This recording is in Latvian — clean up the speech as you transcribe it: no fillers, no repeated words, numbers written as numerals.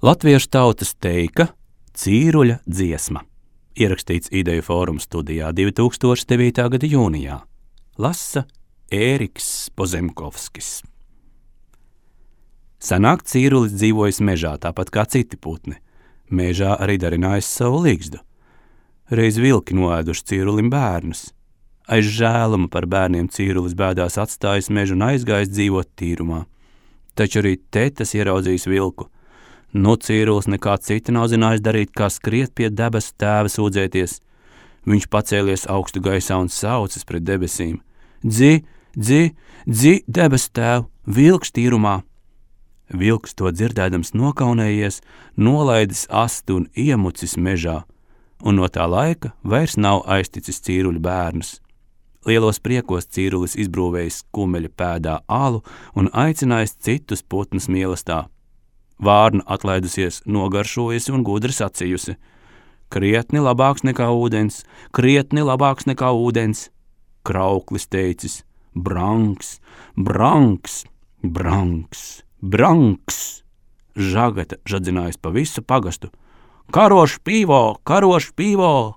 Latviešu tautas teika Cīruļa dziesma. Ierakstīts Ideju fóruma studijā 2009. gada jūnijā. Lasa Ēriks Pozemkovskis. Senāk cīrulis dzīvojis mežā, tāpat kā citi putni. Mežā arī darinājis savu ligzdu. Reiz vilki noēduši cīrulim bērnus. Aiz žēluma par bērniem cīrulis bēdās atstājis mežu un aizgājis dzīvot tīrumā. Taču arī te tas ieraudzījis vilku. Cīrulis nekā cita nav zinājis darīt, kā skriet pie debesu tēva sūdzēties. Viņš pacēlies augstu gaisā un saucis pret debesīm. Dzi, debesu tēvu, vilks tīrumā! Vilks to dzirdēdams nokaunējies, nolaidis astu un iemucis mežā, un no tā laika vairs nav aizticis cīruļu bērnus. Lielos priekos cīrulis izbrūvējis kumeļa pēdā alu un aicinājis citus putnus mīlestā. Vārna atlaidusies, nogaršojusi un gudri sacījusi. Krietni labāks nekā ūdens, krietni labāks nekā ūdens. Krauklis teicis, branks, branks, branks, branks. Žagata žadzinājis pa visu pagastu. Karoš pīvo, karoš pīvo!